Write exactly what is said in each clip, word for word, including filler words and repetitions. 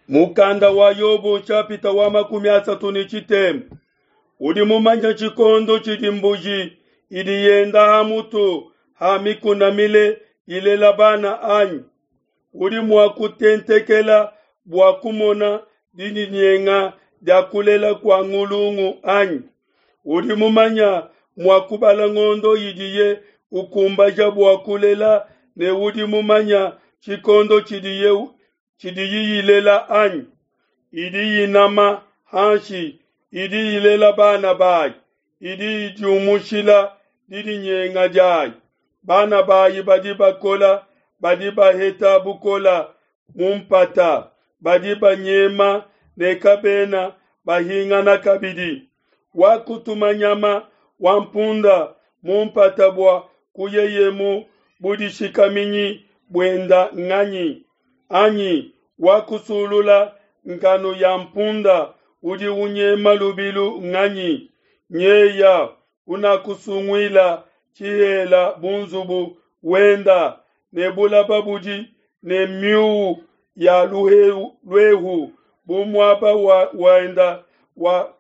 Mukanda wa Yobo nshapita wa makumi asatu ne tshitema. Udi mumanye tshikondo tshidi mbuji idi yenda ha mutu ha mikuna mile ilela bana anyi? Udi mua kutentekela bua kumona didinyenga dia kulela kua ngulungu anyi? Udi mumanya mua kubala ngondo idiye ukumbaja bua kulela ne udi mumanya tshikondo tshidiye tshidiyi ilela anyi? Idi inama hanshi, idi ilela bana bayi, idi idiumushila didinyenga diayi. Bana bayi badi bakola, badi baheta bukola mu mpata, badi banyema ne kabena bahingana kabidi. Wakutuma nyama wa mpunda mu mpata bua kuyeye mu budishikaminyi buenda nganyi? Anyi wakusulula nkanu ya mpunda udi unyema lubilu nganyi? Nyeya unakusunguila tshihela bu nzubu wenda, ne bulaba budi ne miu ya luehu bu muaba wa wenda wa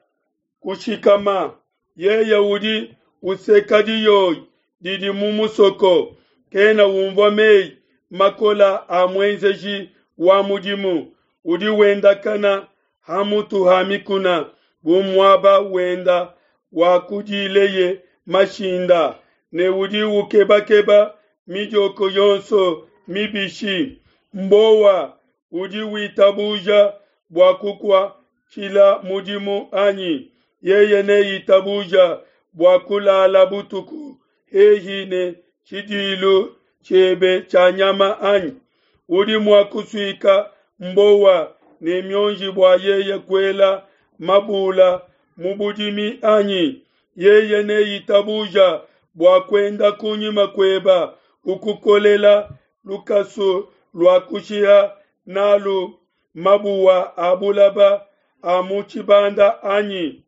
kushikama. Yeye udi useka diyoyi didi mu musoko, kena unvua mei makola a muenzeji wa mudimu. Udi wendakana ha mutu ha mikuna bu muaba wenda wa kudileye mashinda, ne udi ukebakeba midioko yonso mibishi. Mbowa udi witabuja bua kukuatshila mudimu anyi? Yeye neitabuja bua kulala butuku hehi ne tshidilu tshiebe tshia nyama anyi? Udi mua kusuika mbowa ne mionji bua yeye kuela mabula mu budimi anyi? Yeye neitabuja bua kuenda kunyima kueba ukukolela lukasu lua kushiha nalu mabuwa a bulaba a mu tshibanda anyi?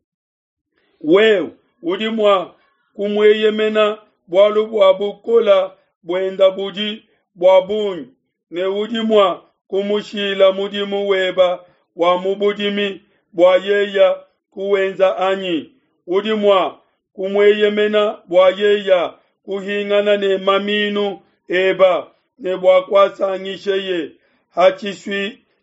Wewe udi mua kumueyemena bualu bua bukola buenda budi bua bungi, ne udi mua kumushila mudimu weba wa mu budimi bua yeya kuwenza anyi? Udi mua kumueyemena bua yeya kuhingana ne maminu eba ne bua kuasangisheye ha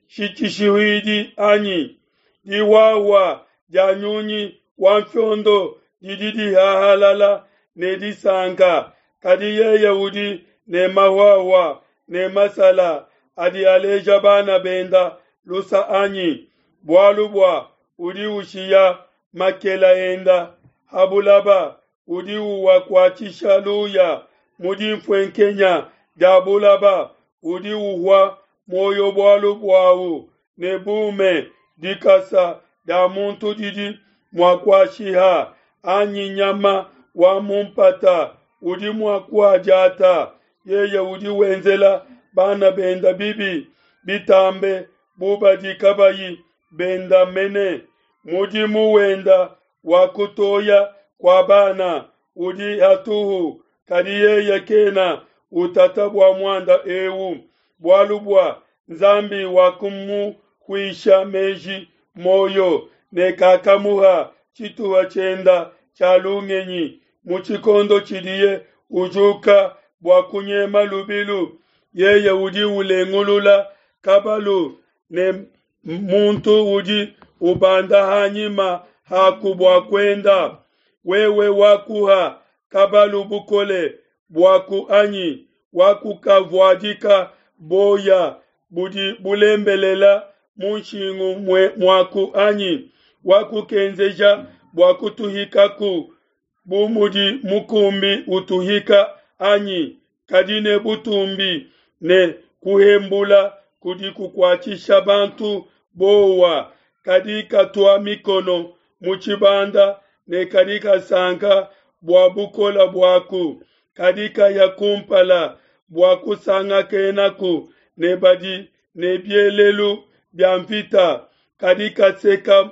tshishihuidi anyi? Dihuahua dia nyunyi wa nfiondo didi dihahalala ne disanka, kadi yeye udi ne mahuahua ne masala adi aleja bana benda lusa anyi? Bualu bua udi ushiya makela enda ha bulaba, udi uwakuatshisha luya mu dinfuenkenya dia bulaba, udi uhua muoyo bualu buau ne bume, dikasa dia muntu didi mua kuashiha, anyi nyama wa mu mpata udi mua kuadiata. Yeye udi wenzela bana benda bibi bitambe bu badi kabayi benda mene. Mudimu wenda wa kutoya kua bana udi hatuhu, kadi yeye kena utata bua muanda eu, bualu bua Nzambi wakumuhuisha meji muoyo ne kakamuha tshituha tshienda tshia lungenyi mu tshikondo tshidiye ujuka bua kunyema lubilu. Yeye udi ulengulula kabalu ne muntu udi ubanda hanyima haku bua kuenda. Wewe wakuha kabalu bukole buaku anyi? Wakukavuadika boya budi bulembelela mu nshingu muaku anyi? Wakukenzeja bua kutuhikaku bu mudi mukumbi utuhika anyi? Kadi ne butumbi ne kuhembula kudi kukuatshisha bantu bowa, kadi katua mikono mu tshibanda ne kadi kasanka bua bukola buaku, kadi kaya kumpala bua kusangakenaku ne badi ne bielelu bia mvita, kadi kaseka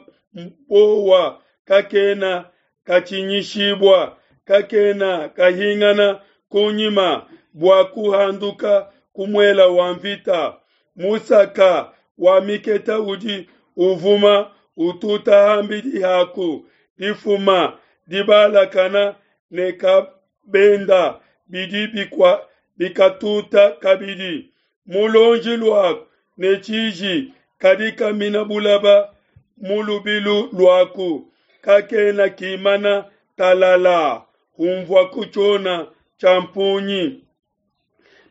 bowa kakena katshinyishibua, kakena kahingana kunyima bua kuhanduka ku muela wa mvita. Musaka wa miketa udi uvuma ututa hambidi haku. Difuma, dibalakana ne kabenda bidi bikua bikatuta kabidi. Mu luonji luaku ne tshiji kadi kamina bulaba mu lubilu luaku, kakena kimana talala, hunvuaku tshiona tshia mpungi.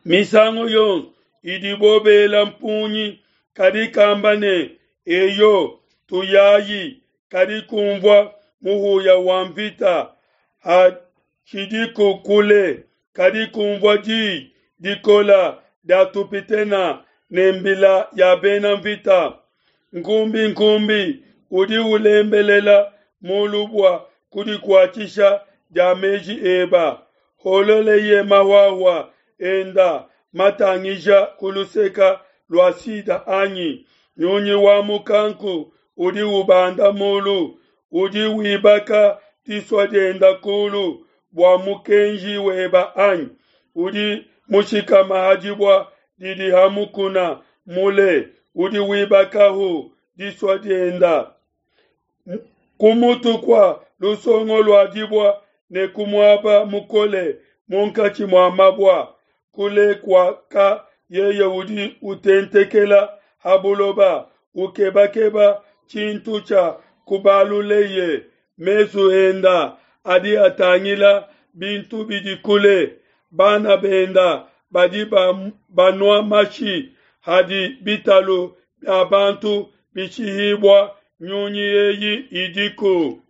Misangu yonso idibo bela mpungi, kadi kamba ne, Eyo, tuyayi, kadi kunvua muhuya wa nvita hatshidiku kule, kadi kunvua di dikole dia tupitene ne mbila ya bena nvita. Nkumbinkumbi udi ulembelela mulu bua kudikuatshisha dia meji eba, hololeye mahuahua enda matangija ku luseke lua Sida anyi? Nyunyi wa mukanku udi ubanda mulu, udi wibaka disua dienda kulu bua mukenji weba anyi? Udi mushikama ha dibua didi ha mukuna mule, udi wibakahu disua dienda. Ku mutu kua lusongo lua dibua ne ku muaba mukole munkatshi mua mabua, kule kuaka yeye udi utentekela ha buloba, ukebakeba tshintu tshia kubaluleye. Mesu enda adi atangila bintu bidi kule, bana benda badi banua mashi, hadi bitalu bia bantu bishihibua, nyunyi eyi idiku.